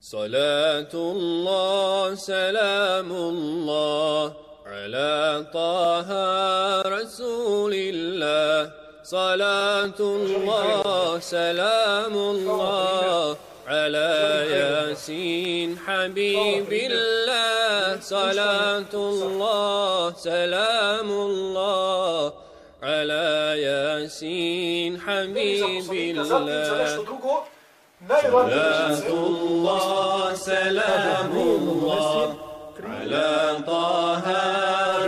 صلاة الله سلام الله على طه رسول الله صلاة الله سلام الله على ياسين حبيب الله صلاة الله سلام الله على ياسين حبيب الله صلاة الله سلام الله على طه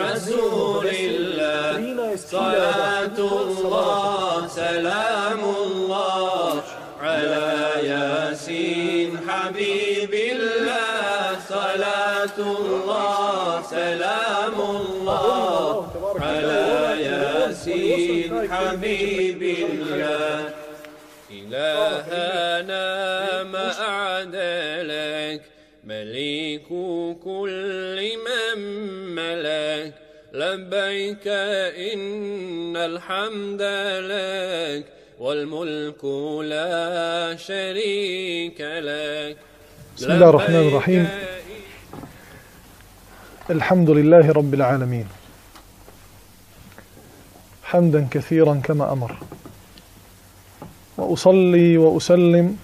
رسول الله صلاة الله سلام الله على ياسين حبيب الله صلاة الله سلام الله على ياسين حبيب الله إلهنا ما أعدلك مليك كل من ملك لبيك إن الحمد لك والملك لا شريك لك. بسم الله الرحمن الرحيم. الحمد لله رب العالمين حمدا كثيرا كما أمر، وأصلي وأسلم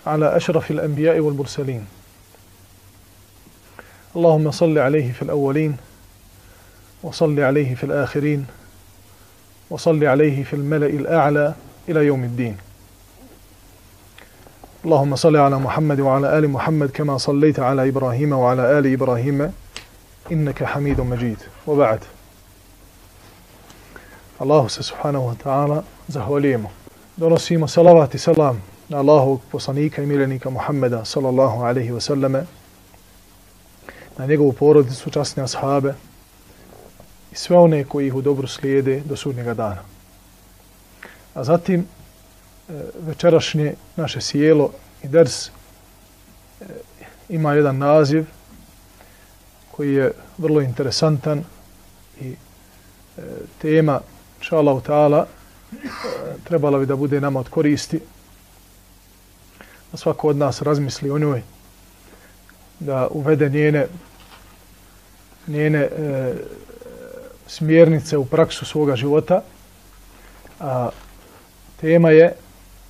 على أشرف الأنبياء والمرسلين، اللهم صل عليه في الأولين وصل عليه في الآخرين وصل عليه في الملأ الأعلى إلى يوم الدين. اللهم صل على محمد وعلى آل محمد كما صليت على إبراهيم وعلى آل إبراهيم إنك حميد مجيد. وبعد، الله سبحانه وتعالى zahvaljujemo. Donosimo salavat i salam na Allahovog poslanika i miljenika Muhammeda sallallahu alaihi wa sallame, na njegovu porodicu, časne ashabe i sve one koji ih u dobru slijede do sudnjega dana. A zatim večerašnje naše sjelo i ders ima jedan naziv koji je vrlo interesantan i tema, inša Allahu ta'ala, trebala bi da bude nama od koristi, da svako od nas razmisli o njoj, da uvede njene smjernice u praksu svoga života. A tema je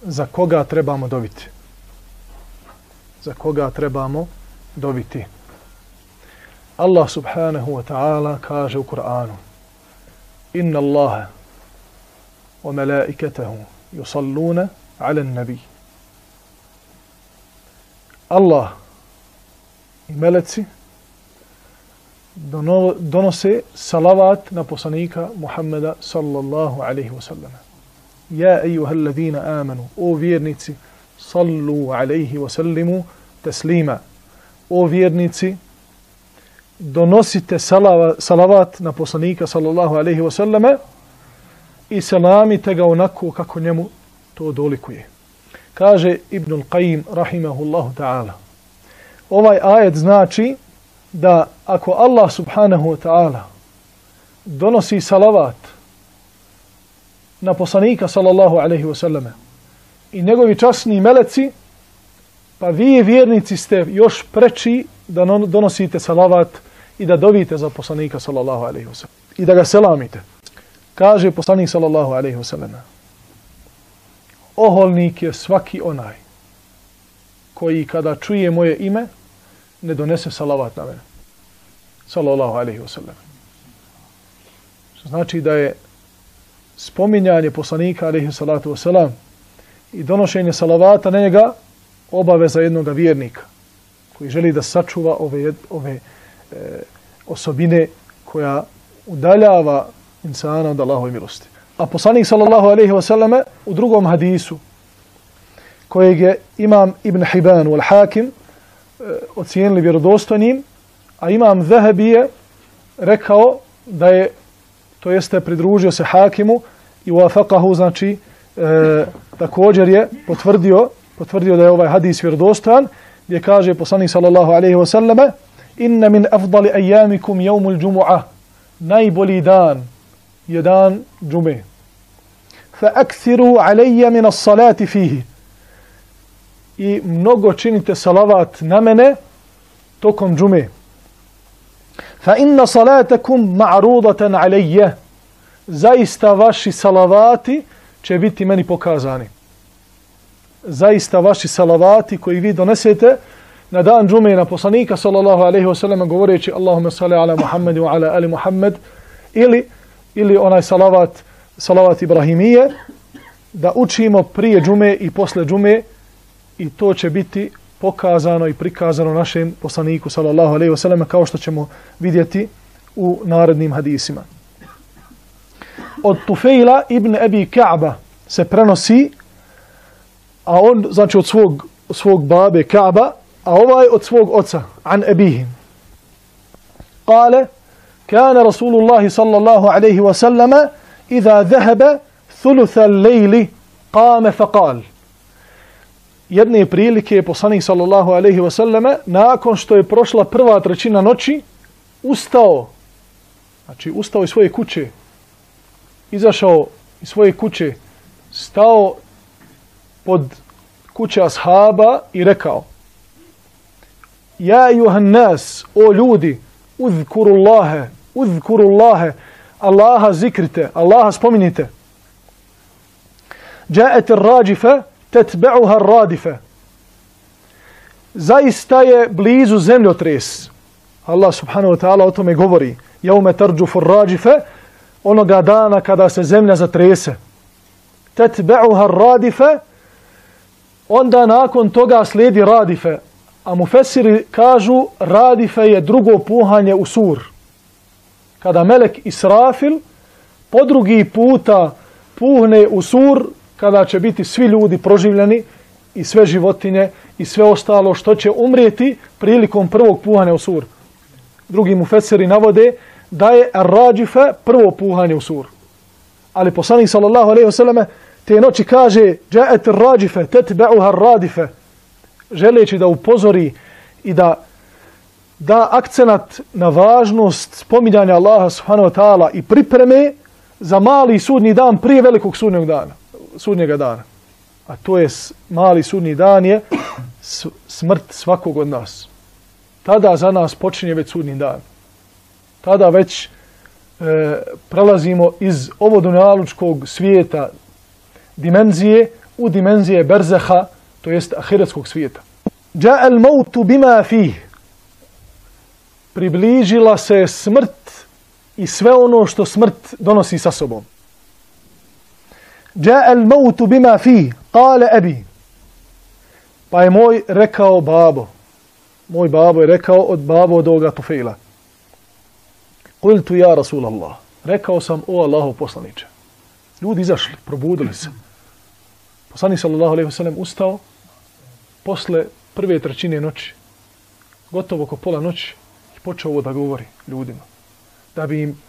za koga trebamo dobiti. Za koga trebamo dobiti. Allah subhanahu wa ta'ala kaže u Kur'anu: Inna Allaha wa malaikatahu yusalluna ala nabi. Allah i meleci donose salavat na poslanika Muhammeda sallallahu alaihi wa sallam. Ja ejuhal ladina amanu, o vjernici, sallu alaihi wa sallimu taslima. O vjernici, donosite salavat na poslanika sallallahu alaihi wa sallame i selamite ga onako kako njemu to dolikuje. Kaže Ibnul Qayyim rahimahullahu ta'ala, ovaj ajet znači da ako Allah subhanahu wa ta'ala donosi salavat na poslanika sallallahu alaihi wa sallame i njegovi časni meleci, pa vi vjernici ste još preči da donosite salavat i da dovite za poslanika sallallahu alaihi wa sallam i da ga selamite. Kaže poslanik sallallahu alaihi wa sallam: oholnik je svaki onaj koji kada čuje moje ime ne donese salavat na mene sallallahu alaihi wa sallam. Što znači da je spominjanje poslanika alaihi salatu wa salam i donošenje salavata na njega obaveza jednog vjernika koji želi da sačuva ove osobine koja udaljava insana od Allahove milosti. A poslanik sallallahu alaihi wa sallame u drugom hadisu kojeg je imam Ibn Hibban wal Hakim ocijenili vjerodostojnim, a imam Zahabi je rekao da je, to jeste pridružio se Hakimu i wafaqahu, znači također je potvrdio da je ovaj hadis vjerodostojan, gdje kaže poslanik sallallahu alaihi wa sallame: inna min afdali ajamikum jevmul džumu'ah, najbolji dan je dan džume. Fa akthiru alayya min as-salati fihi, i mnogo činite salavat na mene tokom džume. Fa inna salatakum ma'rudatan alayya. Zaista vaši salavati će biti meni pokazani. Zaista vaši salavati koji vi donesete na dan džume na poslanika sallallahu alejhi ve sellem govoreći Allahumma salli ala Muhammed wa ala ali Muhammed ili onaj salavat Ibrahimije da učimo prije džume i posle džume i to će biti pokazano i prikazano našem poslaniku sallallahu alejhi ve sellem kao što ćemo vidjeti u narednim hadisima. Od Tufejla ibn Abi Ka'ba se prenosi, a on znači od svog babe Ka'ba, a ovaj od svog oca, an abihi. Kale, kana Rasulullah sallallahu alaihi wa sallama idha dhahaba thulutha al-lejli qame faqal. Jedne prilike je poslanik sallallahu alaihi wa sallama nakon što je prošla prva trećina noći ustao. Znači ustao iz svoje kuće, izašao iz svoje kuće, stao pod kuće ashaba i rekao: Ja ejuhan nas, o ljudi, uzkurullahe, Allaha zikrite, Allaha spominjite. Ja'at ar-rajifa tatba'uha ar-radifa. Zaista je blizu zemljotres. Allah subhanahu wa ta'ala o tome govori. Jaume tarđufu ar-rajifa, onoga dana kada se zemlja zatrese. Tatba'uha ar-radifa, onda nakon toga slijedi radife. A mufesiri kažu radife je drugo puhanje u sur. Kada melek Israfil po drugi puta puhne u sur, kada će biti svi ljudi proživljeni i sve životinje i sve ostalo što će umrijeti prilikom prvog puhanja u sur. Drugi mufesiri navode da je ar-rađife prvo puhanje u sur. Ali poslanik sallallahu alejhi ve selleme te noći kaže ja'at ar-rađife tatba'uha ar-radife, želeći da upozori i da akcenat na važnost spominjanja Allaha subhanahu wa ta'ala i pripreme za mali sudnji dan prije velikog sudnjega dana. A to je mali sudnji dan je smrt svakog od nas. Tada za nas počinje već sudnji dan. Tada već prelazimo iz ovodunjalučkog svijeta dimenzije u dimenzije berzeha, to jest ahiretskog svijeta. Ja'a al-mautu bima fih. Približila se smrt i sve ono što smrt donosi sa sobom. Ja'a al-mautu bima fih, qala abi. Pa je moj rekao babo. Moj babo je rekao od ovoga Tufejla. Qultu ja Rasulallah. Rekao sam, o Allahov poslaniče. Ljudi izašli, probudili se. Poslanik sallallahu alejhi ve sellem ustao posle prve trećine noći, gotovo oko pola noći, i počeo ovo da govori ljudima. Da bi im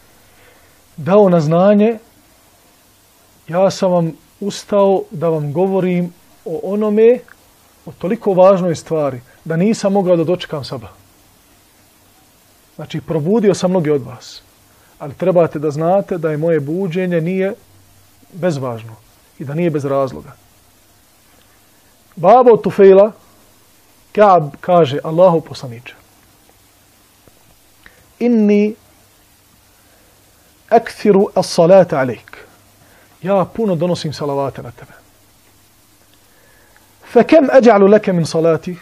dao na znanje, ja sam vam ustao da vam govorim o onome, o toliko važnoj stvari, da nisam mogao da dočekam sabah. Znači, probudio sam mnogi od vas, ali trebate da znate da je moje buđenje nije bezvažno i da nije bez razloga. Babo Tufejla, Ka'b, kaže, Allahu poslaniče, inni akthiru as-salata alejk. Ja puno donosim salavate na tebe. Fa kam aj'alu laka min salati?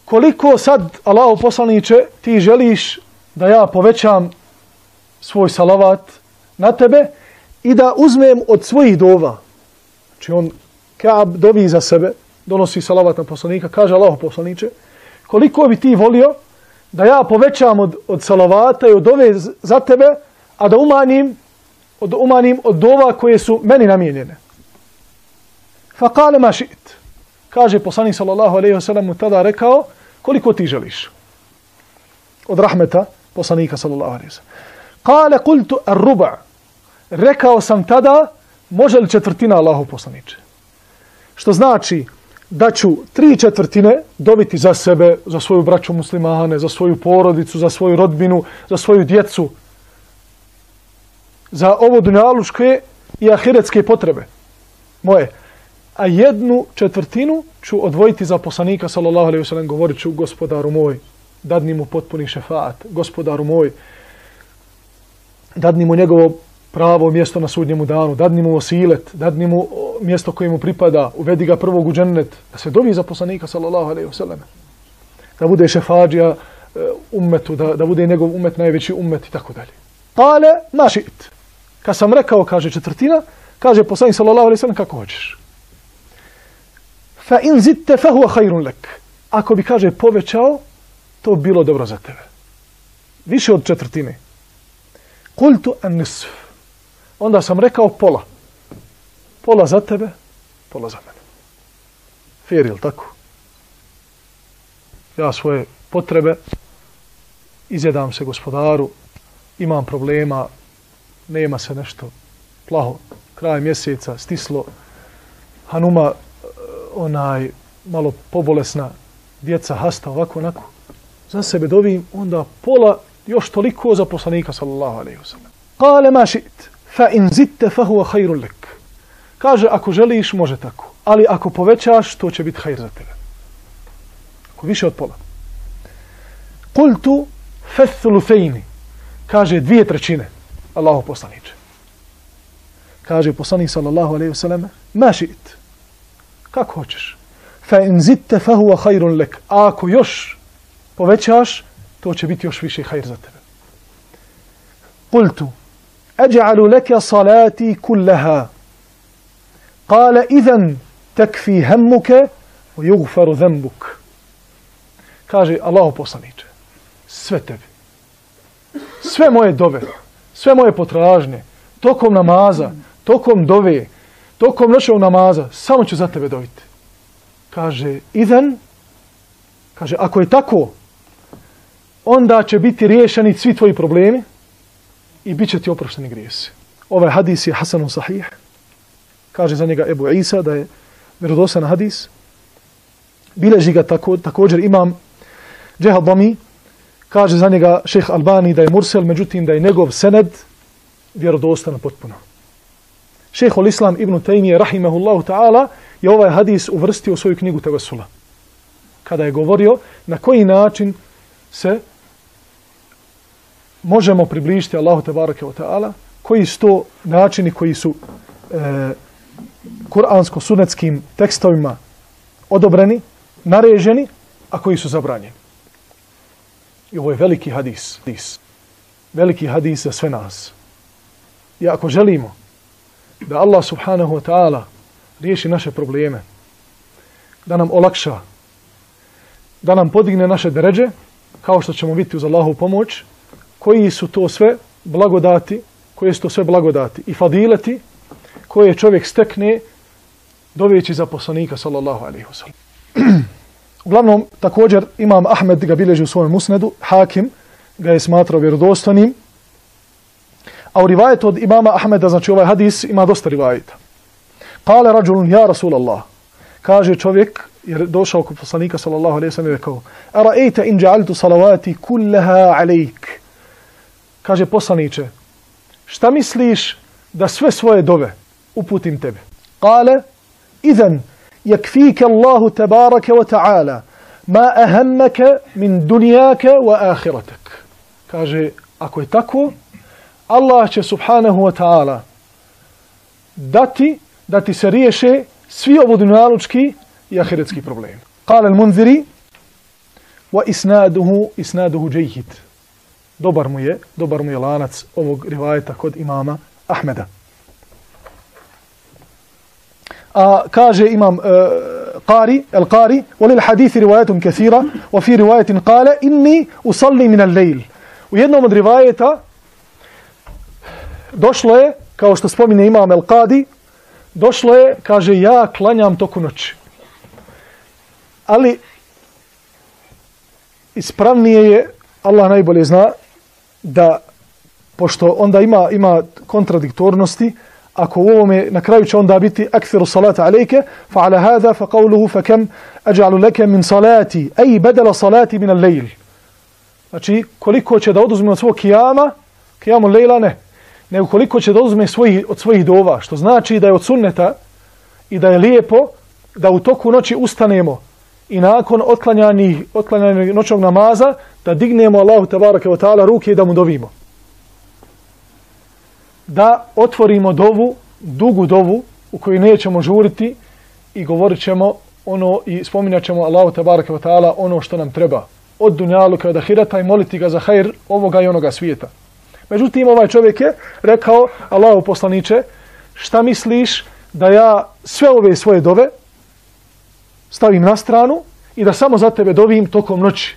Koliko sad, Allahu poslaniče, ti želiš da ja povećam svoj salavat na tebe i da uzmem od svojih dova? Znači on, Ka'b, dovi za sebe, donosi salavat na poslanika, kaže Allahu poslaniče, koliko bi ti volio da ja povećam od salavata i od dove za tebe, a da umanjim od dova koje su meni namijenjene. Fa kale ma šit. Kaže poslanik sallallahu alejhi ve sellem mu tada rekao, koliko ti želiš? Od rahmeta poslanika sallallahu alejhi ve sellem. Kale kultu ar-ruba'. Rekao sam tada, može li četvrtina Allahu poslaniče? Što znači da ću 3/4 dobiti za sebe, za svoju braću muslimane, za svoju porodicu, za svoju rodbinu, za svoju djecu, za ovo dunjaluške i ahiretske potrebe moje. a 1/4 ću odvojiti za poslanika sallallahu alejhi ve sellem, govorit ću gospodaru moj, dadni mu potpuni šefaat, gospodaru moj, dadni mu njegovo pravo mjesto na sudnjemu danu, dadni mu osilet, dadni mu mjesto koje mu pripada, uvedi ga prvog u džennet, da se dovi za poslanika sallallahu alejhi ve sellem, da bude šefadžija ummetu, da bude njegov ummet najveći ummet i tako dalje. Kale ma šit. Kad sam rekao, kaže 1/4, kaže poslanik sallallahu alejhi ve sellem, kako hoćeš. Fa in zidte fa huwa khairun lak. Ako bi, kaže, povećao, to bi bilo dobro za tebe. Više od 1/4. Kultu an nisf. Onda sam rekao pola. Pola za tebe, pola za mene. Fair, jel tako? Ja svoje potrebe izjedam se gospodaru, imam problema, nema se nešto plaho, kraj mjeseca, stislo, Hanuma malo pobolesna, djeca hasta, ovako, onako. Za sebe dovim, onda pola još toliko za poslanika sallallahu alejhi ve sellem. Kale ma šit, fa in zidte fa huwa khairun lak. Kaže, ako želiš, može tako. Ali ako povećaš, to će biti hajr za tebe. Ako više od pola. Kultu fa thuluthaini. Kaže 2/3. Allahu poslaniče. Kaže poslanik sallallahu alejhi ve sellem, ma šit. Kako hoćeš. Fa in zidte fa huwa khairun lak. A ako još povećaš, to će biti još više hajr za tebe. Kultu أجعل لك صلاتي كلها قال إذن تكفي همك ويغفر ذنبك. Kaže Allahu poslaniče, sve tebi, sve moje dove, sve moje potražnje, tokom namaza, tokom dove, tokom noćnog namaza, samo ću za tebe doviti. Kaže, idhan, kaže, ako je tako, onda će biti riješeni svi tvoji problemi i bit će ti oprošteni grijesi. Ovaj hadis je hasanun sahih. Kaže za njega Ebu Isa da je vjerodostojan hadis. Bileži ga također imam Džehadami. Kaže za njega šejh Albani da je mursel, međutim da je njegov sened vjerodostan potpuno. Šejhul Islam ibn Tejmije rahimehullahu ta'ala je ovaj hadis uvrstio u svoju knjigu Tevesula. Kada je govorio na koji način se možemo približiti Allahu tebareke ve ta'ala, koji su to načini koji su kuransko-sunetskim tekstovima odobreni, nareženi, a koji su zabranjeni. I ovo je veliki hadis. Veliki hadis za sve nas. I ako želimo da Allah subhanahu wa ta'ala riješi naše probleme, da nam olakša, da nam podigne naše deređe, kao što ćemo vidjeti uz Allahovu pomoć, koji su to sve blagodati, i fadileti koje čovjek stekne doveći za poslanika sallallahu alejhi ve sellem. Uglavnom, također Imam Ahmed ga bilježi u svojem musnedu, Hakim ga je smatrao vjerodostojnim, a u rivajetu od imama Ahmeda, znači ovaj hadis ima dosta rivajeta. Kale rađulun, ja Rasulallah, kaže čovjek, jer došao kod poslanika sallallahu alejhi ve sellem i rekao, ara'ejte in ja'altu salavati kullaha alejk. Kaže poslaniče, šta misliš da sve svoje dove uputim tebi? Kale, idhan, yakfika Allahu tabaraka wa ta'ala ma ahammaka min dunjaka wa ahiratak. Kaže, ako je tako, Allah će subhanahu wa ta'ala da ti se riješe svi ovodunjalučki i ahiretski problemi. Kale al-Munziri, wa isnaduhu džejhid. Dobar mu je lanac ovog rivajeta kod imama Ahmeda. A kaže imam Al-Qari, walil hadithi rivajetum kathira, wa fi rivajetin kale, inni usalli min al-lejl. U jednom od rivajeta došlo je, kao što spomine imam Al-Qadi, došlo je, kaže, ja klanjam toku noći. Ali ispravnije je, Allah najbolje zna, da, pošto onda ima kontradiktornosti, ako u ovome na kraju će onda biti akthiru salata alejke, fa ala hada fa qawluhu fa kam aj'alu laka min salati, ay badala salati min al-layl. Znači, koliko će da oduzme od svog kijamu lejla ne, nego koliko će da oduzme od svojih dova, što znači da je od sunneta i da je lijepo da u toku noći ustanemo i nakon otklanjanja noćnog namaza da dignemo Allahu tebareke ve taala ruke i da mu dovimo. Da otvorimo dovu, dugu dovu u kojoj nećemo žuriti i govorit ćemo i spominjat ćemo Allahu tebareke ve taala ono što nam treba od dunjaluka od ahireta i moliti ga za hajr ovoga i onoga svijeta. Međutim, ovaj čovjek je rekao: Allahu poslaniče, šta misliš da ja sve ove svoje dove stavim na stranu i da samo za tebe dovim tokom noći?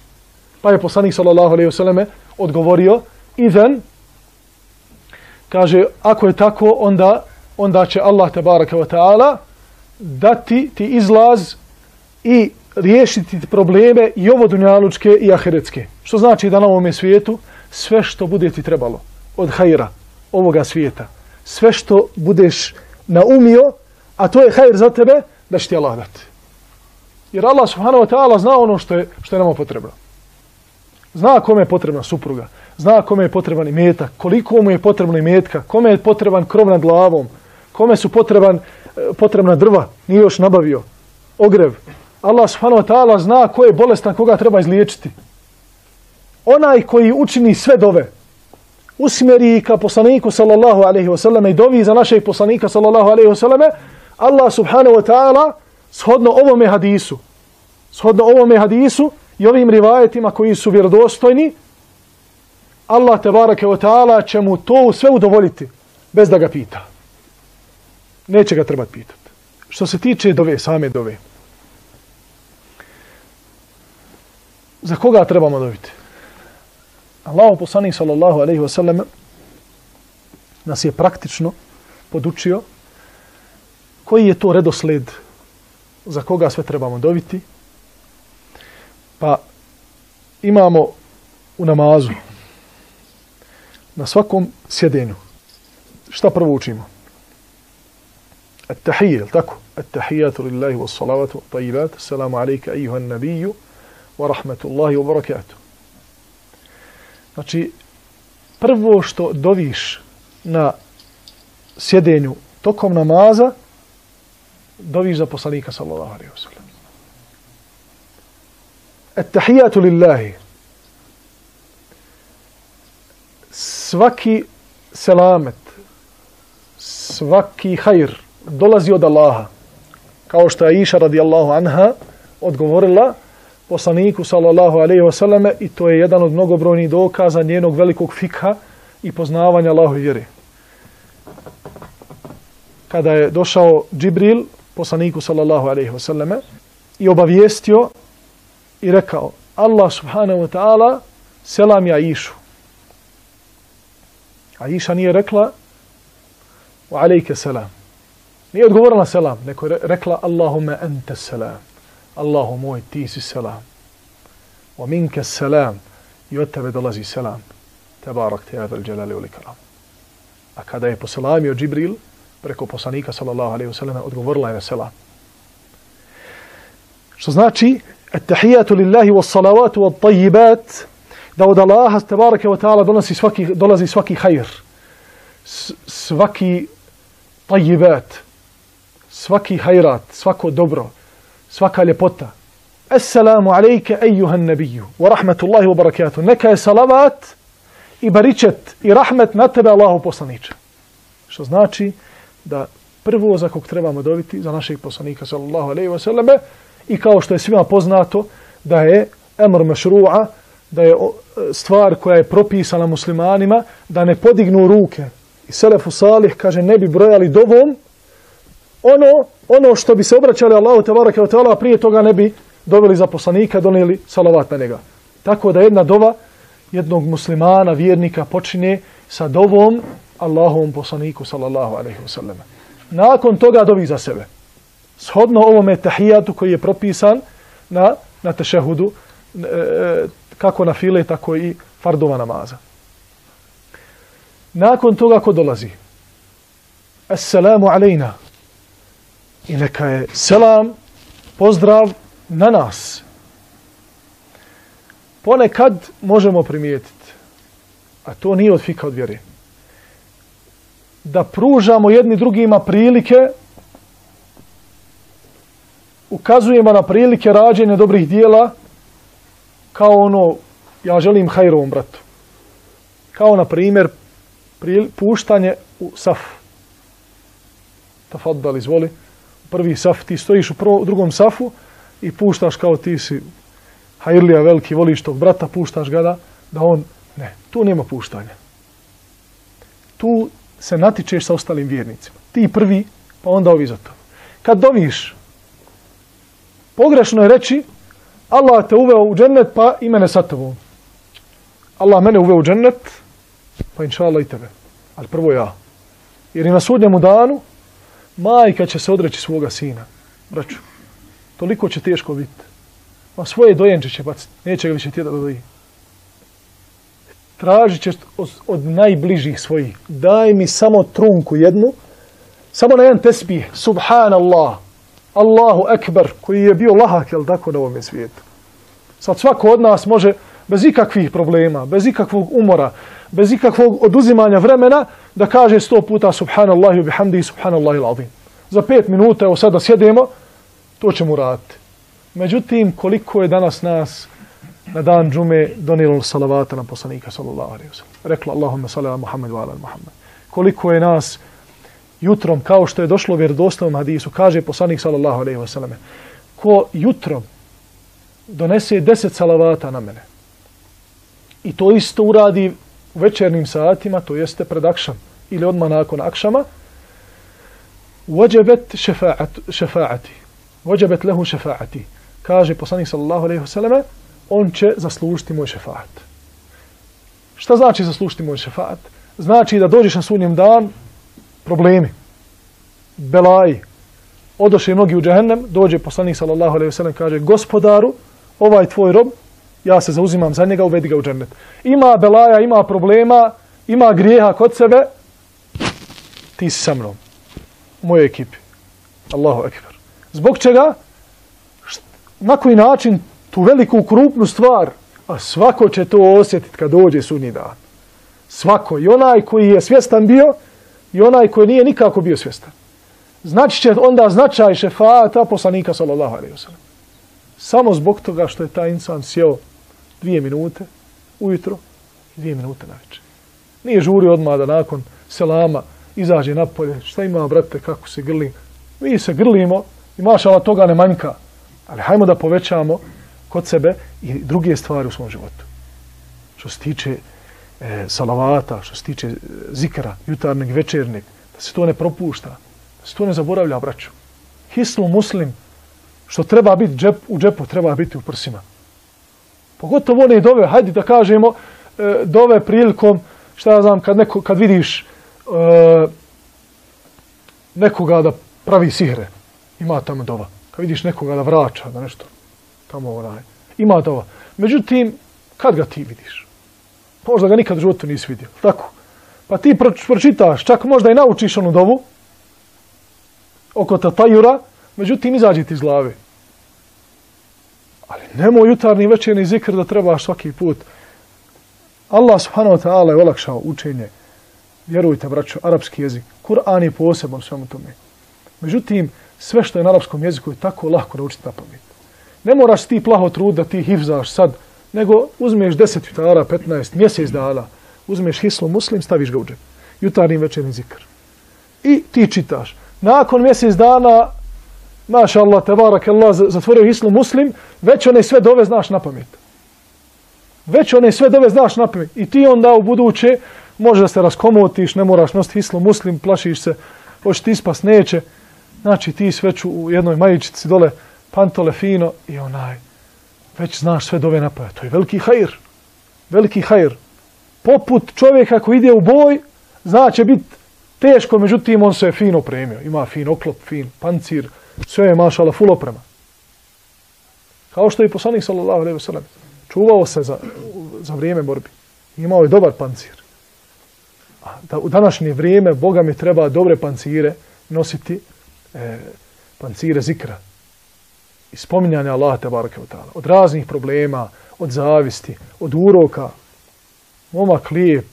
Pa je poslanik sallallahu alejhi ve selleme odgovorio: Idan, kaže, ako je tako, onda će Allah tebareke ve taala dati ti izlaz i riješiti probleme i ovo dunjalučke i ahiretske. Što znači da na ovome svijetu sve što bude ti trebalo od hajra ovoga svijeta, sve što budeš naumio, a to je hajr za tebe, da će ti Allah dati. Jer Allah subhanahu wa ta'ala zna ono što je nama potrebno. Zna kome je potrebna supruga, zna kome je potreban imetak, koliko mu je potrebno imetka, kome je potreban krov nad glavom, kome su potrebna drva, nije još nabavio, ogrev. Allah subhanahu wa ta'ala zna ko je bolestan, koga treba izliječiti. Onaj koji učini sve dove, usmjeri ka poslaniku sallallahu alejhi ve selleme i dovi za našeg poslanika sallallahu alejhi ve selleme, Allah subhanahu wa ta'ala shodno ovome hadisu i ovim rivajetima koji su vjerodostojni, Allah tebareke ve ta'ala će mu to sve udovoljiti bez da ga pita. Neće ga trebati pitati. Što se tiče dove, same dove, za koga trebamo doviti? Allahu poslanik sallallahu alejhi ve sellem nas je praktično podučio koji je to redosled za koga sve trebamo doviti. Pa imamo u namazu na svakom sjedenju šta prvo učimo? At-tahiyya, tako? At-tahiyyatu lillahi was-salawatu wat-tayyibat. Assalamu alayka ayyuhan nabiyyu wa rahmatullahi wa barakatuh. Znači, prvo što doviš na sjedenju tokom namaza, doviš za poslanika sallallahu alejhi ve sellem. At-tahiyatu lillahi. Svaki selamet, svaki hajr dolazi od Allaha. Kao što je Aisha radijallahu anha odgovorila poslaniku sallallahu alejhi ve selleme, i to je jedan od mnogobrojnih dokaza njenog velikog fikha i poznavanja Allahove vjere. Kada je došao Džibril poslaniku sallallahu alejhi ve selleme i obavijestio i rekao: Allah subhanahu wa ta'ala selam ja Aishu. Aisha nije rekla wa alejke selam. Nije odgovorila selam, nego je rekla Allahumma ente selam. Allahu moj, ti si selam. Wa minke selam. I od tebe dolazi selam. Tebarak te adal dželali ul ikram. A kada je poselamio Džibril preko poslanika sallallahu alejhi ve sellem, odgovorila je selam. Što znači at-tahiyatu lillahi was-salawatu wat-tayyibat, da od Allaha tebareke ve taala dolazi svaki hajr, svaki tayyibat, svaki hajrat, svako dobro, svaka ljepota. Assalamu alejke ejuhan nabiju wa rahmatullahi wa barakatuh. Neka je salavat i baričet i rahmet na tebe, Allahu poslaniče. Što znači da prvo za kog trebamo dobiti za našeg poslanika sallallahu alejhi ve selleme, i kao što je svima poznato da je emr mešru'a, da je stvar koja je propisana muslimanima da ne podignu ruke. I selefu salih kaže ne bi brojali dovom ono što bi se obraćali Allahu tebareke ve taala, prije toga ne bi doveli za poslanika, donijeli salavat na njega. Tako da jedna dova jednog muslimana, vjernika, počinje sa dovom Allahovom poslaniku sallallahu alejhi ve sellem. Nakon toga dovi za sebe. Shodno ovome tahijatu koji je propisan na tešehudu, kako na file, tako i fardova namaza. Nakon toga ko dolazi? Assalamu alejna. I neka je selam, pozdrav na nas. Ponekad možemo primijetiti, a to nije od fika od vjere, da pružamo jedni drugima prilike ukazujemo na prilike rađenja dobrih dijela kao ono, ja želim hajrovom bratu. Kao na primjer puštanje u saf. Tafaddal, izvoli. Prvi saf, ti stojiš u drugom safu i puštaš kao ti si hajrlija veliki, voliš tog brata, puštaš ga da on, ne, tu nema puštanja. Tu se natičeš sa ostalim vjernicima. Ti prvi, pa onda ovi za to. Kad doviš, pogrešno je reći Allah te uveo u džennet, pa i mene sa tobom. Allah mene uveo u džennet, pa inša Allah i tebe. Ali prvo ja. Jer i na sudnjemu danu majka će se odreći svoga sina. Braću, toliko će teško biti. Ma svoje dojenče će baciti. Neće ga više tjeda da doji. Tražit će od najbližih svojih. Daj mi samo trunku jednu. Samo na jedan tesbih. Subhanallah. Allahu ekber. Koji je bio lahak, jel tako, na ovom svijetu. Sad svako od nas može bez ikakvih problema, bez ikakvog umora, bez ikakvog oduzimanja vremena, da kaže 100 puta subhanallahi wa bihamdihi subhanallahi al-azim. Za 5 minuta, evo sada sjedemo, to ćemo raditi. Međutim, koliko je danas nas na dan džume donijelo salavata na poslanika sallallahu alejhi ve sellem. Rekla Allahumma salli ala Muhammed wa ala Muhammed. Koliko je nas jutrom, kao što je došlo u vjerodostojnom hadisu, kaže poslanik sallallahu alejhi ve sellem, ko jutrom donese 10 salavata na mene i to isto uradi u večernim satima, to jeste pred akšam ili odmah nakon akšama, wajabat šefaati. Wajabat lehu šefaati. Kaže poslanik sallallahu alejhi ve selleme, on će zaslužiti moj šefaat. Šta znači zaslužiti moj šefaat? Znači da dođeš na sudnjem dan, problemi, belaji. Odoše mnogi u džehennem, dođe poslanik sallallahu alejhi ve sellem, kaže gospodaru, ovaj tvoj rob, ja se zauzimam za njega, uvedi ga u džennet. Ima belaja, ima problema, ima grijeha kod sebe, ti si sa mnom, u mojoj ekipi. Allahu ekber. Zbog čega? Na koji način tu veliku krupnu stvar, a svako će to osjetiti kad dođe sudnji dan. Svako, i onaj koji je svjestan bio, i onaj koji nije nikako bio svjestan. Znači će onda značaj šefaata poslanika sallallahu alejhi ve sellem. Samo zbog toga što je taj insan sjeo 2 minute ujutro i 2 minute navečer. Nije žurio odmah da nakon selama izađe napolje. Šta ima, brate, kako se grli? Mi se grlimo i mašala toga ne manjka. Ali hajmo da povećamo kod sebe i druge stvari u svom životu. Što se tiče salavata, što se tiče zikra, jutarnjeg, večernjeg, da se to ne propušta, da se to ne zaboravlja, braću. Hisnu muslim, što treba biti u džepu, treba biti u prsima. Pogotovo one dove, hajde da kažemo, dove prilikom, šta ja znam, kad vidiš nekoga da pravi sihre, ima tamo dova. Kad vidiš nekoga da vraća, da nešto tamo ima dova. Međutim, kad ga ti vidiš? Možda ga nikad u životu nisi vidio. Tako. Pa ti pročitaš, čak možda i naučiš onu dovu oko tatajura, međutim, izađi ti iz glave. Ali nemoj jutarnji večerni zikr da trebaš svaki put. Allah subhanahu wa ta'ala je olakšao učenje. Vjerujte, braćo, arapski jezik. Kur'an je poseban svemu tome. Međutim, sve što je na arapskom jeziku je tako lako naučiti na pamet. Ne moraš ti plaho trud da ti hifzaš sad, nego uzmeš 10 jutara, 15, mjesec dana, uzmeš hisnu muslim, staviš ga u džep. Jutarnji večerni zikr. I ti čitaš. Nakon mjesec dana, maša Allah, tebarak Allah, zatvorio hisnu muslim, već one sve dove znaš na pamet. Već one sve dove znaš na pamet. I ti onda u buduće može da se raskomotiš, ne moraš nositi hisnu muslim, plašiš se, hoće ti ispas, neće. Znači ti sveću u jednoj majičici dole, pantole fino i već znaš sve dove na pamet. To je veliki hajr. Veliki hajr. Poput čovjeka koji ide u boj, zna će biti teško, međutim on se je fino opremio. Ima fin oklop, fin pancir, sve je mašala full oprema. Kao što je poslanik sallallahu alejhi ve sellem čuvao se za vrijeme borbi. Imao je dobar pancir. A u današnje vrijeme Boga mi treba dobre pancire nositi, pancire zikra i spominjanja Allaha tebareke ve taala. Od raznih problema, od zavisti, od uroka. Momak lijep,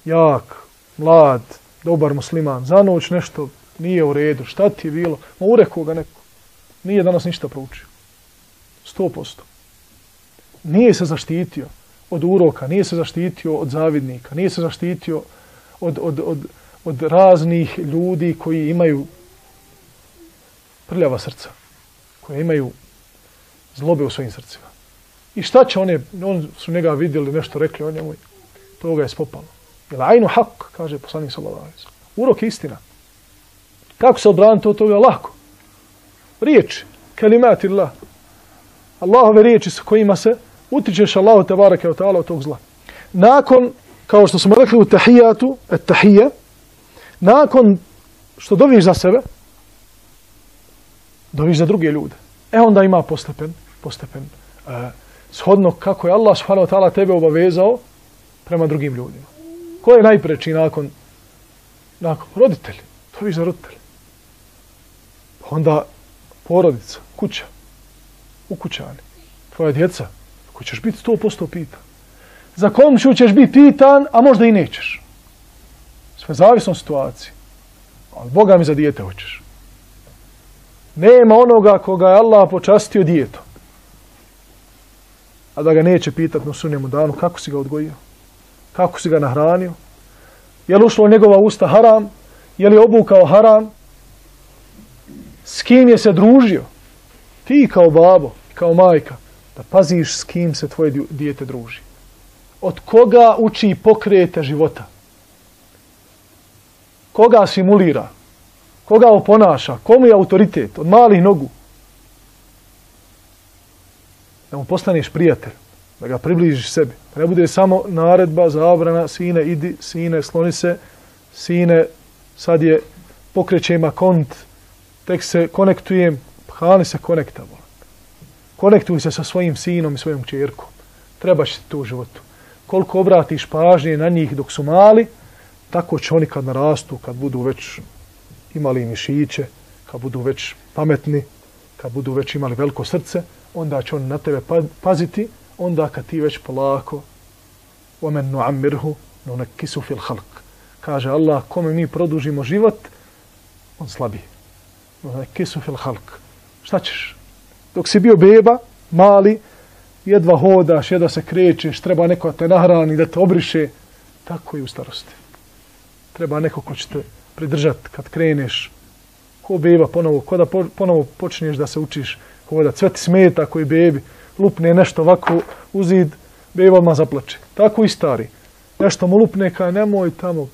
jak, mlad, dobar musliman. Za noć nešto nije u redu. Šta ti je bilo? Ma urekao ga neko. nije danas ništa proučio. 100%. Nije se zaštitio od uroka, nije se zaštitio od zavidnika, nije se zaštitio od raznih ljudi koji imaju prljava srca, koji imaju zlobe u svojim srcima. I šta će oni su njega vidjeli, nešto rekli o njemu, to ga je spopalo. Jel ajnu hak, kaže poslanik sallallahu alejhi ve sellem. Urok je istina. Kako se odbraniti od toga? Lako. Riječi, kelimati Allah. Allahove riječi sa kojima se utičeš Allahu tebareke ve taala od tog zla. Nakon, kao što smo rekli u tahijatu, tahije, nakon što doviš za sebe, doviš za druge ljude. Onda ima postepen shodno kako je Allah subhanahu wa ta'ala tebe obavezao prema drugim ljudima. Ko je najpreči nakon roditelji? Doviš za roditelji. Onda porodica, kuća, ukućani, tvoja djeca, ko ćeš biti 100% pitan. Za komšiju ćeš biti pitan, a možda i nećeš. Sve zavisno od situacije. Ali Boga mi za dijete hoćeš. Nema onoga koga je Allah počastio dijetom, a da ga neće pitati na sunnjemu danu kako si ga odgojio, kako si ga nahranio, je li ušlo u njegova usta haram, je li obukao haram, s kim je se družio. Ti kao babo, kao majka, da paziš s kim se tvoje dijete druži. Od koga uči pokrete života. Koga simulira. Koga oponaša. Komu je autoritet. Od malih nogu. Da mu postaneš prijatelj. Da ga približiš sebi. Da ne bude samo naredba, zabrana, sine idi, sine sloni se, sine sad je pokrećem akont, tek se konektujem, hrani se konekta. Konektuj se sa svojim sinom i svojom kćerkom. Treba će ti to u životu. Koliko obratiš pažnje na njih dok su mali, tako će oni kad narastu, kad budu već imali mišiće, kad budu već pametni, kad budu već imali veliko srce, onda će oni na tebe paziti, onda kad ti već polako وَمَنْ نُعَمِّرْهُ نُنَكِّسُ فِي الْخَلْقِ. Kaže Allah, kome mi produžimo život, on slabi. نُنَكِّسُ فِي الْخَلْقِ. Šta ćeš? Dok si bio beba, mali, jedva hodaš, jedva se krećeš, treba neko da te nahrani, da te obriše, tako i u starosti. Treba neko ko će te pridržati kad kreneš, ko beba ponovo, ko da ponovo počneš da se učiš hodati. Sve ti smeta koji bebi, lupne nešto ovako u zid, beba odmah zaplače. Tako i stari. Nešto mu lupne, kaj nemoj tamo.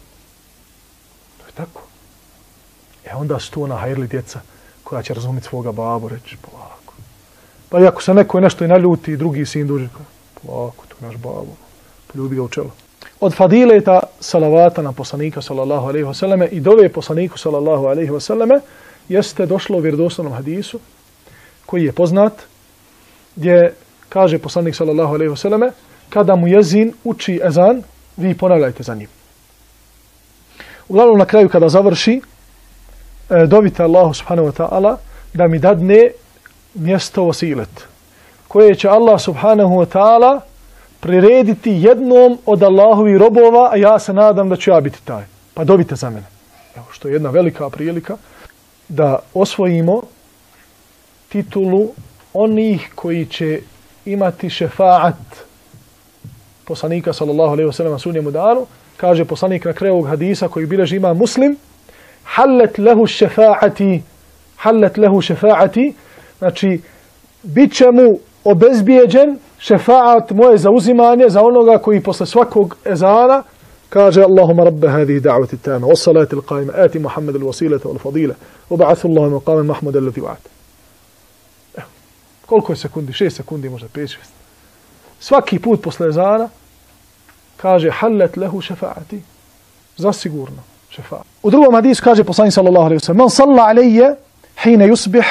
To je tako. Onda su tu ona hajrli djeca koja će razumjeti svoga babu, reći polako. Pa i ako se neko nešto i naljuti, drugi sin duži, polako, to je naš babu. Poljubi ga u čelo. Od fadileta salavata na poslanika sallallahu alejhi ve selleme i dove poslaniku sallallahu alejhi ve selleme jeste došlo u vjerodostojnom hadisu koji je poznat, gdje kaže poslanik sallallahu alejhi ve selleme, kada mu jezin uči ezan, vi ponavljajte za njim. Uglavnom na kraju kada završi, dovite Allahu subhanahu wa ta'ala da mi dadne mjesto vasilet, koje će Allah subhanahu wa ta'ala prirediti jednom od Allahovih robova, a ja se nadam da ću ja biti taj. Pa dovite za mene. Evo, što je jedna velika prilika da osvojimo titulu onih koji će imati šefaat poslanika sallallahu alejhi ve sellem sunnjemu danu. Kaže poslanik na kraju ovog hadisa koji bileži ima Muslim, hallet lehu šefaati, znači bit će mu obezbijeđen šefaat, moje zauzimanje za onoga koji posle svakog ezana kaže Allahumma rabbe hadihi da'vati tama wa salati al-qa'ima ati Muhammad al-wasilata wal-fadila wa ba'athu Allahu maqaman Mahmud allati wa'ata. Koliko je sekundi? 6 sekundi, možda 5-6. Svaki put posle ezana kaže hallet lehu šefaati. Zasigurno šefaat. U drugom hadisu kaže poslanik sallallahu alejhi ve sellem: "Man salla alayya hina yusbih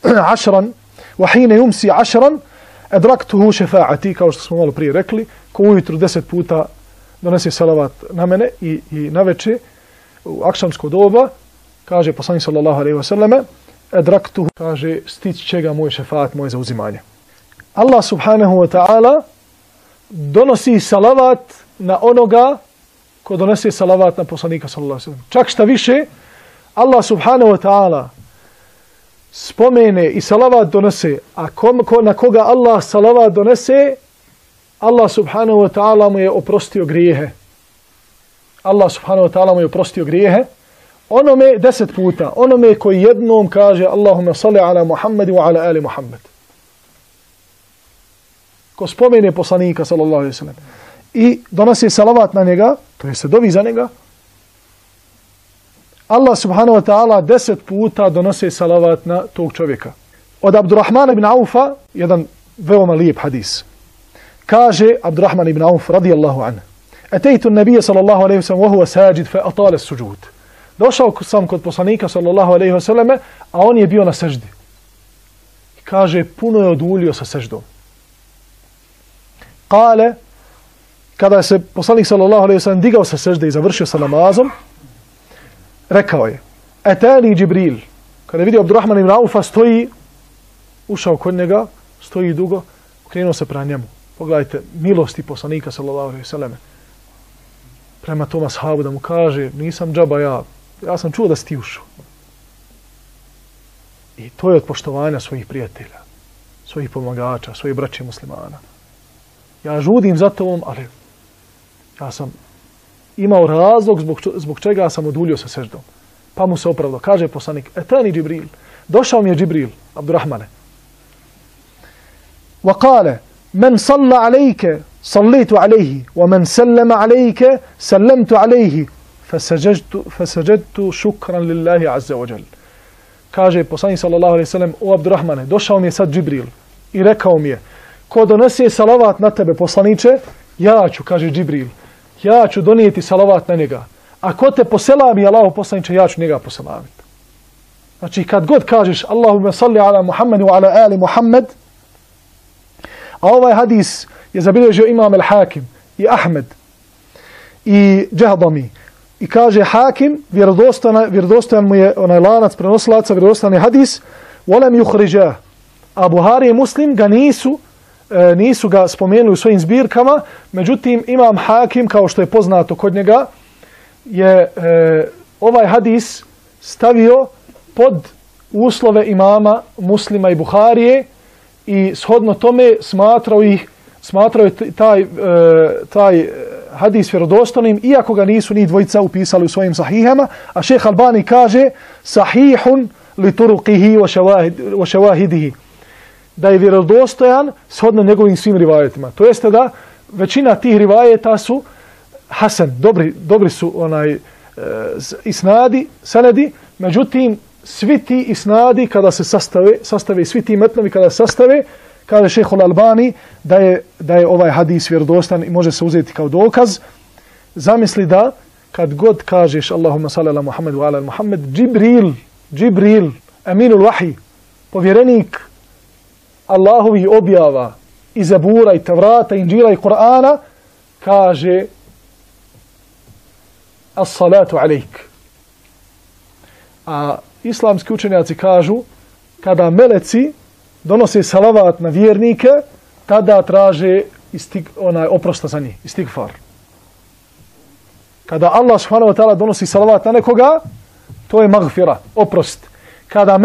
10 wa hina yumsi 10 adraktuhu šefaati." Kao što smo malo prije rekli, ko ujutru 10 puta donese salavat na mene i naveče u akšamsko doba, kaže poslanik sallallahu alejhi ve selleme, adraktuhu, kaže stići će ga moj šefaat, moje zauzimanje. Allah subhanahu wa ta'ala donosi salavat na onoga ko donese salavat na poslanika sallallahu alejhi ve sellem. Čak šta više, Allah subhanahu wa ta'ala spomene i salavat donese, a na koga Allah salavat donese, Allah subhanahu wa ta'ala mu je oprostio grijehe. Allah subhanahu wa ta'ala mu je oprostio grijehe. Onome 10 puta, onome koji jednom kaže Allahumma salli ala Muhammadi wa ala ali Muhammad. Ko spomene poslanika sallallahu alaihi sallam i donosi salavat na njega, to je se dovi za njega, Allah subhanahu wa ta'ala 10 puta donosi salavat na tog čovjeka. Od Abdurrahmana ibn Aufa, jedan veoma lijep hadis. Kaže Abdurrahman ibn Auf radijallahu anhu: Atejtu nabija sallallahu alaihi sallam wa huwa sajid fa atale suđud. Došao sam kod poslanika sallallahu alaihi wa sallame, a on je bio na seždi. I kaže, puno je oduljio sa seždom. Kale, kada se poslanik sallallahu alaihi wa sallam digao sa sežde i završio sa namazom, rekao je, Etani Džibril. Kada je vidio Abdurrahman ibn Aufa stoji, ušao kod njega, stoji dugo, krenuo se prema njemu. Pogledajte, milosti poslanika sallallahu alaihi wa sallame. Prema tom ashabu da mu kaže, nisam džaba ja sam čuo da si ti ušao. I to je od poštovanja svojih prijatelja, svojih pomagača, svojih braća muslimana. Ja žudim za tobom, ali ja sam imao razlog zbog čega sam oduljio sa seždom. Pa mu se opravdao. Kaže poslanik, Etani Džibril. Došao mi je Džibril, Abdurrahmane. Wa kale, men salla alejke, sallitu alejhi, wa men sallama alejke, sallamtu alejhi, fasajadtu šukran lillahi azza wa jal. Kaže poslanik sallallahu alejhi ve sellem, o Abdurrahmane, došao mi je sad Džibril i rekao mi je, ko donese salavat na tebe, poslaniče, ja ću, kaže Džibril, ja ću donijeti salavat na njega. A ko te poselami, Allahu poslaniče, ja ću njega poselamiti. Znači, kad god kažeš Allahumma salli ala Muhammed wa ala ali Muhammed, a ovaj hadis je zabilježio Imam al-Hakim i Ahmed i Džahdami. I kaže Hakim, vjerodostojan mu je onaj lanac prenosilaca, vjerodostojan je hadis, volem yuhriđah. A Buhari i Muslim ga nisu ga spomenuli u svojim zbirkama, međutim Imam Hakim, kao što je poznato kod njega, je ovaj hadis stavio pod uslove imama Muslima i Buharije i shodno tome smatrao je taj hadis vjerodostojnim, iako ga nisu ni dvojica upisali u svojim sahihama, a šejh Albani kaže sahihun li turuqihi wa shawahidihi, da je vjerodostojan shodno njegovim svim rivajetima. To jeste da većina tih rivajeta su hasan, dobri su isnadi, sanedi, međutim svi ti isnadi kada se sastave svi ti metnovi kada se sastave, kaže šejh Albani da je ovaj hadis vjerodostan i može se uzeti kao dokaz. Zamisli da kad god kažeš Allahumma salli ala Muhammed wa ala Muhammed, Džibril, aminul vahi, povjerenik Allahovi objava i Zabura i Tavrata, Inđila i Kur'ana, kaže as-salatu alejk. A islamski učenjaci kažu, kada meleci donose salavat na vjernike, tada traže oprosta za njih, istigfar. Kada Allah subhanahu wa ta'ala donosi salavat na nekoga, to je magfira, oprost. Kada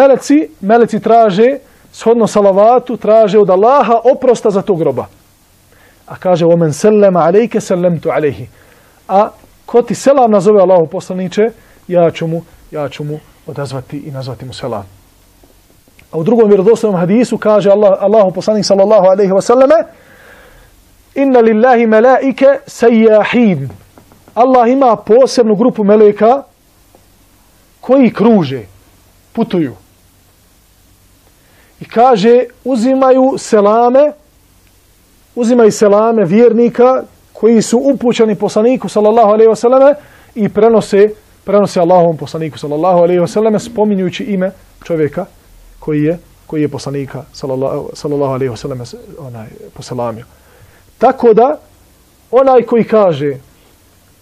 meleci traže, shodno salavatu, traže od Allaha oprosta za tog groba. A kaže, وَمَنْ سَلَّمَ عَلَيْكَ سَلَّمْتُ عَلَيْهِ. A ko ti selam nazove Allahu poslaniče, ja ću mu odazvati i nazvati mu selam. A u drugom vjerodostojnom hadisu kaže Allahu poslanik sallallahu alejhi ve selleme: Inna lillahi malaike sayyahin. Allah ima posebnu grupu meleka koji kruže, putuju. I kaže uzimaju selame vjernika koji su upućeni poslaniku sallallahu alejhi ve selleme i prenose Allahovom poslaniku sallallahu alejhi ve selleme spominjući ime čovjeka koji je poslanika sallallahu alejhi ve selleme poselamio. Tako da onaj koji kaže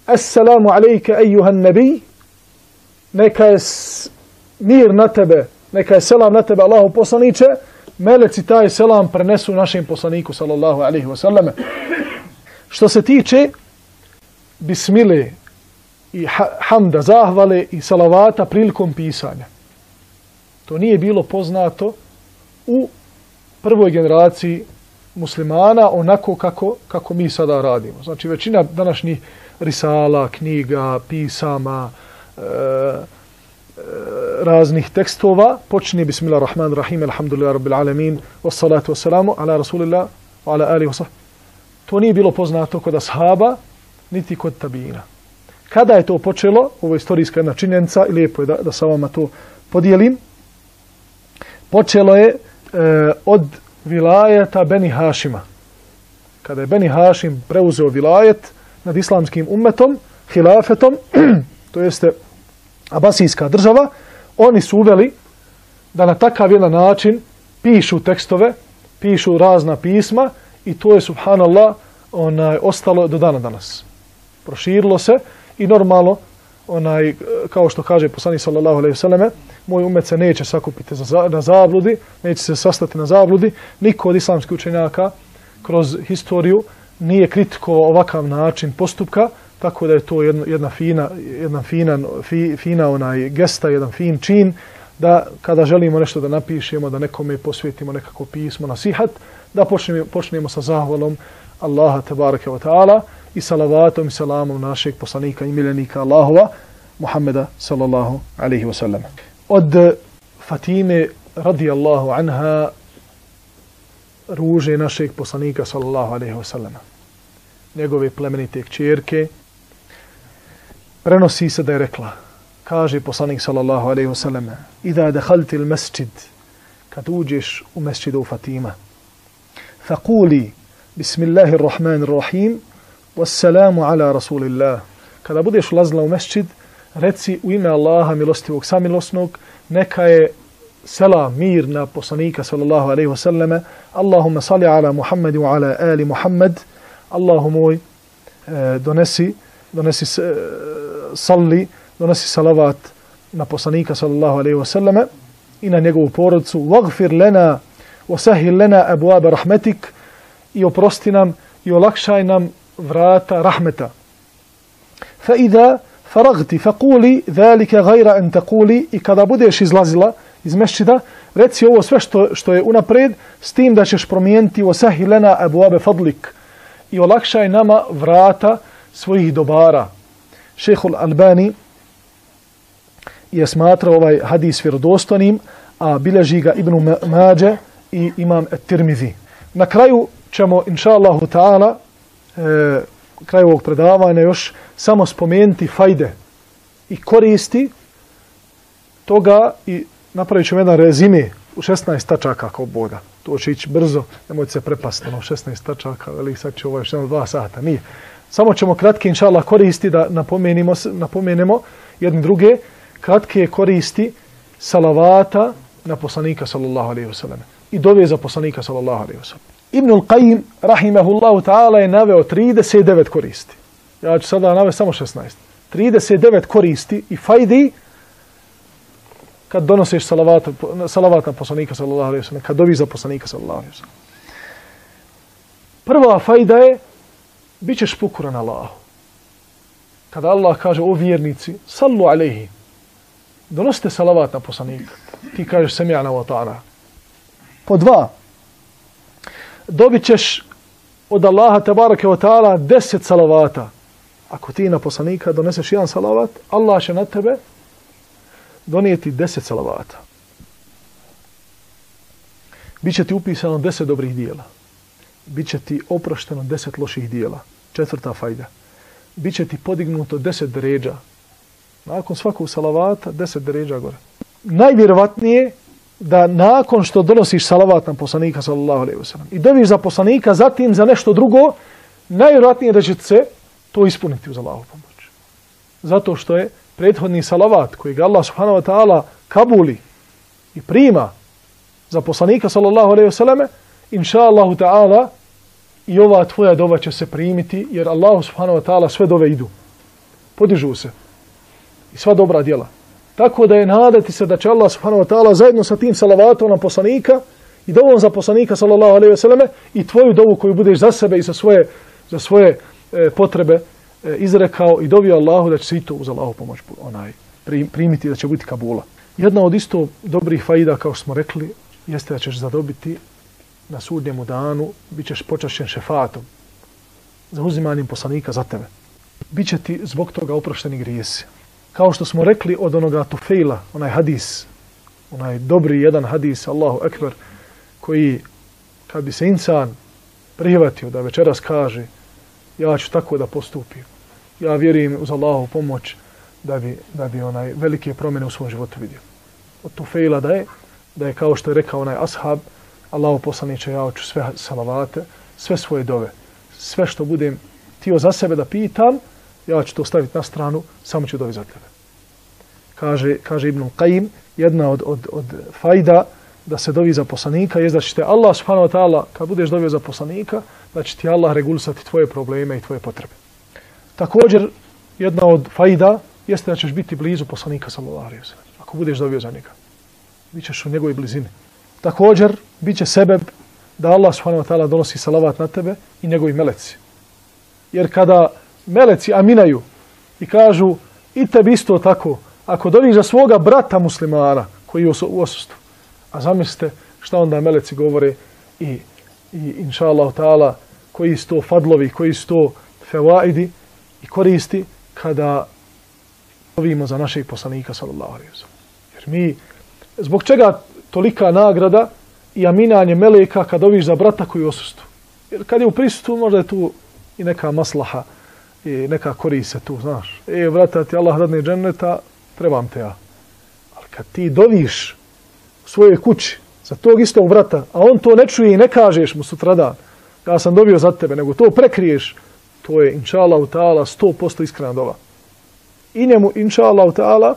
Assalamu alejke ejuhan nabi, neka je mir na tebe, neka je selam na tebe Allahu poslaniče, meleci taj selam prenesu našem poslaniku sallallahu alejhi ve selleme. Što se tiče bismile i hamda, zahvale i salavata prilikom pisanja, To nije bilo poznato u prvoj generaciji muslimana onako kako mi sada radimo. Znači većina današnjih risala, knjiga, pisama, raznih tekstova počinje bismillahirrahmanirrahim, alhamdulillah rabbil alamin, wassalatu wassalamu ala rasulillah wa ala alihi wa sahbihi. To nije bilo poznato kod ashaba, niti kod tabina. Kada je to počelo, ovo je istorijska jedna činjenica i lijepo je da sa vama to podijelim, počelo je od vilajeta Beni Hašima. Kada je Beni Hašim preuzeo vilajet nad islamskim ummetom, hilafetom, to jeste Abasijska država, oni su uveli da na takav jedan način pišu tekstove, pišu razna pisma i to je, subhanallah, ostalo do dana danas. Proširilo se i normalno, kao što kaže poslanik sallallahu alejhi ve selleme, moj ummet se neće sakupiti na zabludi, neće se sastati na zabludi. Niko od islamskih učenjaka kroz historiju nije kritikovao ovakav način postupka, tako da je to jedna fina gesta, jedan fin čin, da kada želimo nešto da napišemo, da nekome posvetimo nekako pismo, nasihat, da počnemo sa zahvalom Allaha tebareke ve taala i salavatom i salamom našeg poslanika i miljenika Allahova, Muhammeda sallallahu alaihi wa sallam. Od Fatime radijallahu anha, ruže našeg poslanika sallallahu alaihi wa sallam, njegove plemenite kćerke, prenosi se da je rekla, kaže poslanik sallallahu alaihi wa sallam, idha dakhalti al-masjid, kad uđeš u mesčidu Fatima, faquli bismillahirrahmanirrahim, wassalamu ala rasulillah. Kada budeš ulazila u mesčid, reci u ime Allaha milostivog samilosnog, neka je selam, mir na poslanika sallallahu alaihi wa sallame, Allahumma salli ala Muhammad wa ala ali Muhammad, Allahu moj, donesi salavat na poslanika sallallahu alaihi wa sallame i na njegovu porodicu, wagfir lana wa sahil lana abwaba rahmetik, i oprosti nam i olakšaj nam vrata rahmeta. Fa idha faragti faquli zalika ghayra an taquli, i kada budeš izlazila iz mesčida, reci ovo sve što je unapred, s tim da ćeš promijeniti wasahil lana abwabe fadlik, i olakšaj nama vrata svojih dobara. Šejhul Albani je smatrao ovaj hadis vjerodostojnim, a bilježi ga Ibn Mađe i Imam at-Tirmizi. Na kraju ćemo, inša Allahu ta'ala, kraju ovog predavanja još samo spomenuti fajde i koristi toga i napravit ćemo jedan rezime u 16 tačaka kao Boga. To će ići brzo, nemojte se prepasti, 16 tačaka, ali sad će ovo još 2 sata, nije. Samo ćemo kratke, inša Allah, koristi da napomenemo jedne druge, kratke koristi salavata na poslanika sallallahu alaihi wa sallam i dove za poslanika sallallahu alaihi wa sallam. Ibnul Qayyim, rahimahullahu ta'ala, je naveo 39 koristi. Ja ću sada navesti samo 16. 39 koristi i fajdi kad donosiš salavat na poslanika sallallahu alaihi wa sallam, kad doviš za poslanika sallallahu alaihi wa sallam. Prva fajda je, bit ćeš pokoran Allahu. Kada Allah kaže, o vjernici, sallu alaihi, donosite salavat na poslanika, ti kažeš sami'na wa ta'ana. Po 2, dobit ćeš od Allaha tebareke ve taala 10 salavata. Ako ti na poslanika doneseš jedan salavat, Allah će na tebe donijeti 10 salavata. Biće ti upisano 10 dobrih dijela. Biće ti oprošteno 10 loših dijela. 4. fajda. Biće ti podignuto 10 deređa. Nakon svakog salavata 10 deređa gore. Najvjerovatnije da nakon što donosiš salavat na poslanika sallallahu alejhi ve sellem i doviš za poslanika, zatim za nešto drugo, najvjerojatnije da će se to ispuniti uz Allahovu pomoć. Zato što je prethodni salavat koji ga Allah subhanahu wa ta'ala kabuli i prima za poslanika sallallahu alejhi ve selleme, inša Allahu ta'ala i ova tvoja dova će se primiti, jer Allah subhanahu wa ta'ala sve dove idu. Podižu se. I sva dobra djela. Tako da je nadati se da će Allah subhanahu wa ta'ala zajedno sa tim salavatom na poslanika i dovom za poslanika sallallahu alejhi ve selleme i tvoju dovu koju budeš za sebe i za svoje potrebe izrekao i dovio Allahu da će se i to uz Allahu pomoć primiti, da će biti kabula. Jedna od isto dobrih faida, kao što smo rekli, jeste da ćeš zadobiti na sudnjemu danu, bit ćeš počašćen šefatom, za uzimanjem poslanika za tebe. Biće ti zbog toga oprošteni grijesi. Kao što smo rekli od onoga Tufejla, onaj hadis, onaj dobri jedan hadis, Allahu ekber, koji kad bi se insan prihvatio da večeras kaže ja ću tako da postupim, ja vjerujem uz Allahu pomoć da bi onaj velike promjene u svom životu vidio. Od Tufejla da je kao što je rekao onaj ashab, Allahu poslaniče, ja ću sve salavate, sve svoje dove, sve što budem htio za sebe da pitam, ja ću to staviti na stranu, samo ću dovi za tebe. Kaže Ibn Qayyim, jedna od fajda da se dovi za poslanika je da će te Allah subhanahu wa ta'ala, kad budeš dovio za poslanika, da će ti Allah regulisati tvoje probleme i tvoje potrebe. Također, jedna od fajda jeste da ćeš biti blizu poslanika sallallahu alejhi ve sellem. Ako budeš dovio za njega, bit ćeš u njegovoj blizini. Također, bit će sebeb da Allah subhanahu wa ta'ala donosi salavat na tebe i njegovi meleci. Jer kada meleci aminaju i kažu i tebi isto tako, ako doviš za svoga brata muslimana koji je u osustvu, a zamislite šta onda meleci govore i inša Allah ta'ala koji su to fadlovi, koji su to fevaidi i koristi kada dovimo za našeg poslanika sallallahu alejhi ve sellem. Jer mi, zbog čega tolika nagrada i aminanje meleka kad doviš za brata koji je u osustvu? Jer kad je u prisustvu možda je tu i neka maslaha i neka korist se tu, znaš. Brata, ti Allah dadne dženneta, trebam te ja. Ali kad ti doviš u svojoj kući za tog istog brata, a on to ne čuje i ne kažeš mu sutradan, ja sam dobio za tebe, nego to prekriješ, to je, inša Allah ta'ala, 100% iskrena dova. I njemu, inša Allah ta'ala,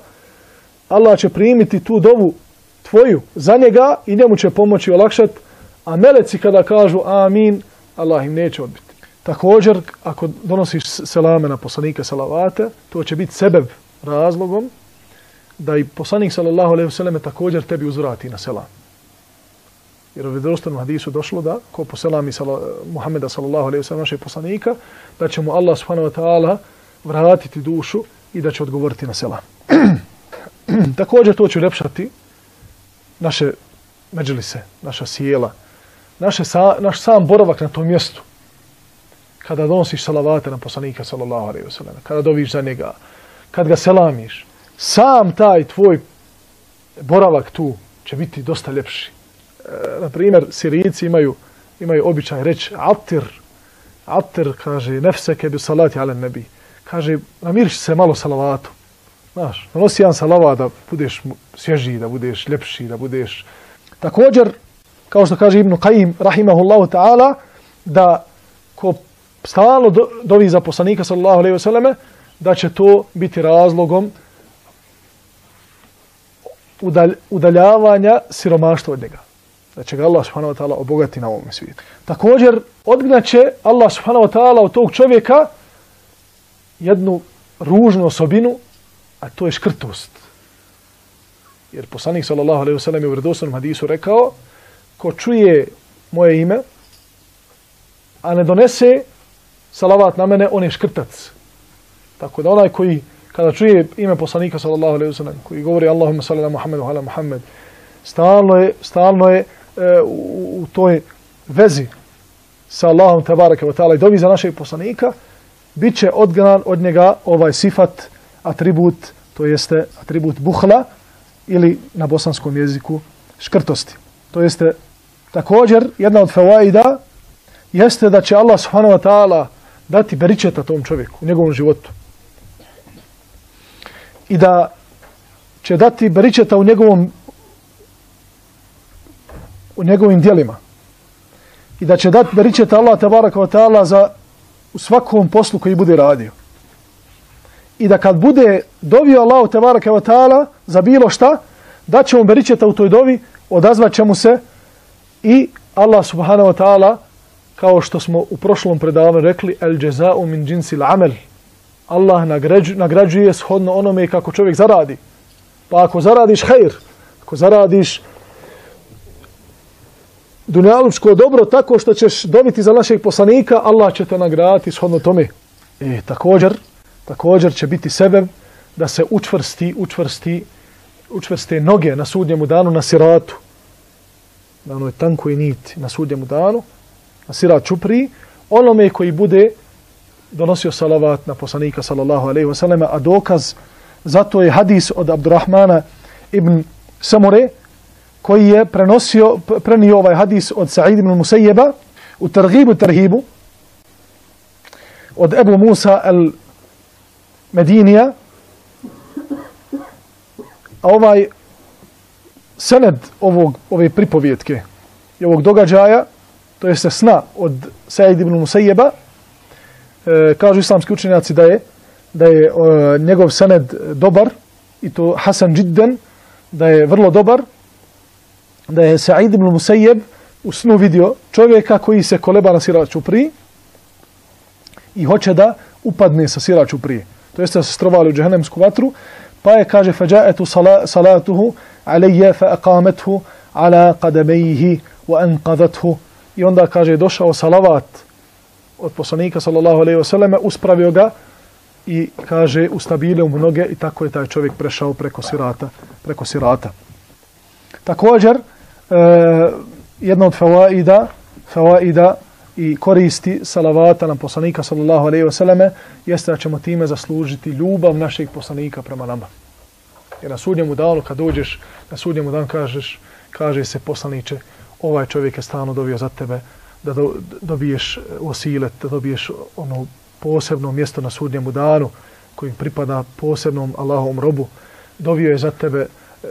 Allah će primiti tu dovu tvoju za njega i njemu će pomoći olakšati, a meleci kada kažu amin, Allah im neće odbiti. Također, ako donosiš selame na poslanika salavate, to će biti sebeb razlogom da i poslanik sallallahu alejhi ve selleme također tebi uzvrati na selam. Jer u vjerodostojnom hadisu došlo da ko poselami Muhameda sallallahu alejhi ve sellem našeg poslanika, da će mu Allah subhanahu wa ta'ala vratiti dušu i da će odgovoriti na selam. Također to će uljepšati naše međlise, naša sjela, naš sam boravak na tom mjestu. Kada donosiš salavate na poslanika sallallahu alejhi ve sellem, kada doviš za njega, kad ga selamiš, sam taj tvoj boravak tu će biti dosta ljepši. Na primjer, Sirijci imaju običaj reći atir, kaže, nefseke bi salati ala nebi. Kaže, namiriš se malo salavatu. Znaš, nanosi jedan salavat da budeš svježiji, da budeš ljepši, da budeš... Također, kao što kaže Ibn Qayyim, rahimahullahu ta'ala, da ko stalno dovi za poslanika sallallahu alejhi ve selleme, da će to biti razlogom udaljavanja siromaštva od njega. Da će ga Allah subhanahu wa ta'ala obogati na ovom svijetu. Također, odgnaće Allah subhanahu wa ta'ala od tog čovjeka jednu ružnu osobinu, a to je škrtost. Jer poslanik sallallahu alejhi ve sellem je u vjerodostojnom hadisu rekao, ko čuje moje ime, a ne donese salavat na mene, on je škrtac. Tako da onaj koji, kada čuje ime poslanika sallallahu alejhi ve sellem, koji govori Allahumma salli ala Muhammed wa ala Muhammed, stalno je u toj vezi sa Allahom tebareke ve ta'ala i dovi za našeg poslanika, bit će odgnan od njega ovaj sifat, atribut, to jeste atribut buhla ili na bosanskom jeziku škrtosti. To jeste također jedna od fawaida jeste da će Allah subhanahu wa ta'ala dati beričeta tom čovjeku u njegovom životu. I da će dati beričeta u njegovim djelima. I da će dati beričeta Allah tabaraka wa ta'ala u svakom poslu koji bude radio. I da kad bude dovio Allahu tabaraka wa ta'ala za bilo šta, da će mu beričeta u toj dovi, odazvat će mu se i Allah subhanahu wa ta'ala, kao što smo u prošlom predavanju rekli, el jaza'u min jinsil amel. Allah nagrađuje shodno onome kako čovjek zaradi. Pa ako zaradiš hajr, ako zaradiš dunjalučko dobro tako što ćeš dobiti za našeg poslanika, Allah će te nagraditi shodno tome. Također će biti sebeb da se učvrsti učvrste noge na sudnjemu danu na siratu, na onoj tankoj niti na sudnjemu danu, na sirat čupriji, onome koji bude donosio salavat na poslanika sallallahu alejhi ve sellem, a dokaz zato je hadis od Abdurrahmana ibn Samure koji je prenio ovaj hadis od Sa'id ibn Musayyeba u Targhibu Tarhibu od Ebu Musa al-Medinija. A ovaj sened ove pripovjetke i ovog događaja, to jeste sna od Sa'id ibn Musayyeba, kažu islamski učenjaci da je njegov sened dobar, i to Hasan Jiddan, da je vrlo dobar, da je Sa'id ibn Musayyeb u snu vidio čovjeka koji se koleba na sirat čupriji i hoće da upadne sa sirat čuprije. To jeste da se strovali u džehennemsku vatru, pa je, kaže, fađa'etu salatuhu alejje fa aqamethu ala qadamejhi wa anqadathu. I onda, kaže, došao salavat od poslanika sallallahu alejhi ve selleme, uspravio ga i, kaže, ustabilio mu noge i tako je taj čovjek prešao preko sirata. Također, jedna od fawaida i koristi salavata na poslanika sallallahu alejhi ve selleme jeste da ćemo time zaslužiti ljubav našeg poslanika prema nama. Jer na sudnjemu danu, kad dođeš, na sudnjemu danu kaže se, poslaniče, ovaj čovjek je stalno dovio za tebe da dobiješ osilet, da dobiješ ono posebno mjesto na sudnjemu danu koji pripada posebnom Allahovom robu. Dovio je za tebe,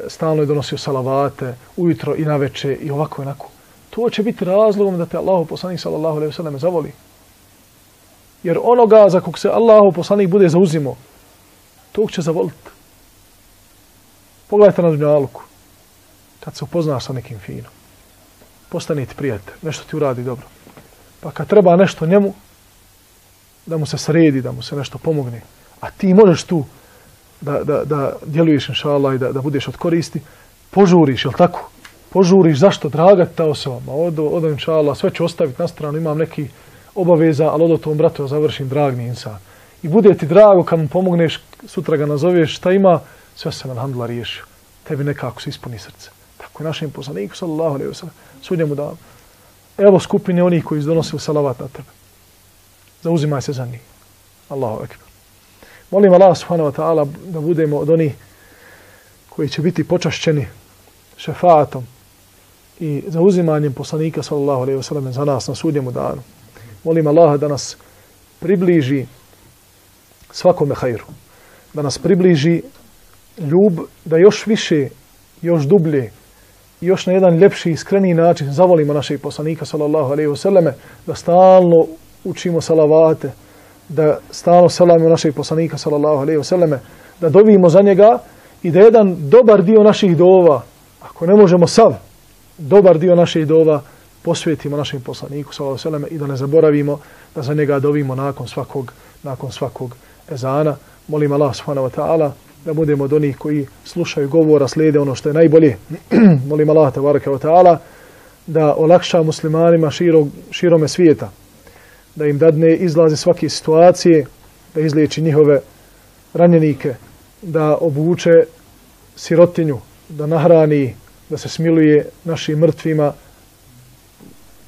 stalno je donosio salavate ujutro i naveče i ovako i onako. To će biti razlogom da te Allahov poslanik sallallahu alejhi ve sellem zavoli. Jer onoga za kog se Allahov poslanik bude zauzimao, tog će zavoliti. Pogledajte na dunjaluku. Kad se upoznaš sa nekim finom, postane ti prijatelj, nešto ti uradi dobro. Pa kad treba nešto njemu, da mu se sredi, da mu se nešto pomogne, a ti možeš tu da djeluješ, inšallah, i da budeš od koristi, požuriš, jel tako? Požuriš, zašto? Draga ta osoba. Ma odo, inšallah, sve ću ostaviti na stranu, imam neki obaveza, ali odo tom bratu završim, drag mi insan. I bude ti drago kad mu pomogneš, sutra ga nazoveš, šta ima, sve se alhamdulillah riješio. Tebi nekako se ispuni srce. Tako je našem poslaniku, sallallahu alejhi ve sellem, sudnjemu danu. Evo skupine onih koji izdonosili salavat na tebe. Zauzimaj se za njih. Allahu ekber. Molim Allah subhanahu wa ta'ala da budemo od onih koji će biti počašćeni šefaatom i zauzimanjem poslanika sallallahu alejhi ve sellem za nas na sudnjemu danu. Molim Allaha da nas približi svakome hajru. Da nas približi ljub, da još više, još dublje, još na jedan ljepši, iskreniji način zavolimo našeg poslanika sallallahu alejhi ve selleme, da stalno učimo salavate, da stalno selamimo našeg poslanika sallallahu alejhi ve selleme, da dovimo za njega i da jedan dobar dio naših dova, ako ne možemo sav, dobar dio naših dova posvetimo našem poslaniku sallallahu alejhi ve selleme i da ne zaboravimo da za njega dovimo nakon svakog ezana. Molim Allah subhanahu wa ta'ala da budemo od onih koji slušaju govora, slijede ono što je najbolje. Molim Allah tebareke ve ta'ala da olakša muslimanima širome svijeta, da im dadne izlaze svake situacije, da izliječi njihove ranjenike, da obuče sirotinju, da nahrani, da se smiluje našim mrtvima,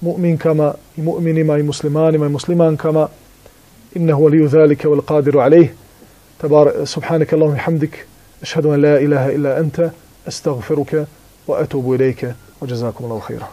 mu'minkama i mu'minima i muslimanima i muslimankama. Innehu waliju zalike wal qadiru alejh. Subhanaka Allahumma hamdik, ashhadu an la ilaha illa anta, astaghfiruka wa atubu ilayka, wa jazakumullahu khairan.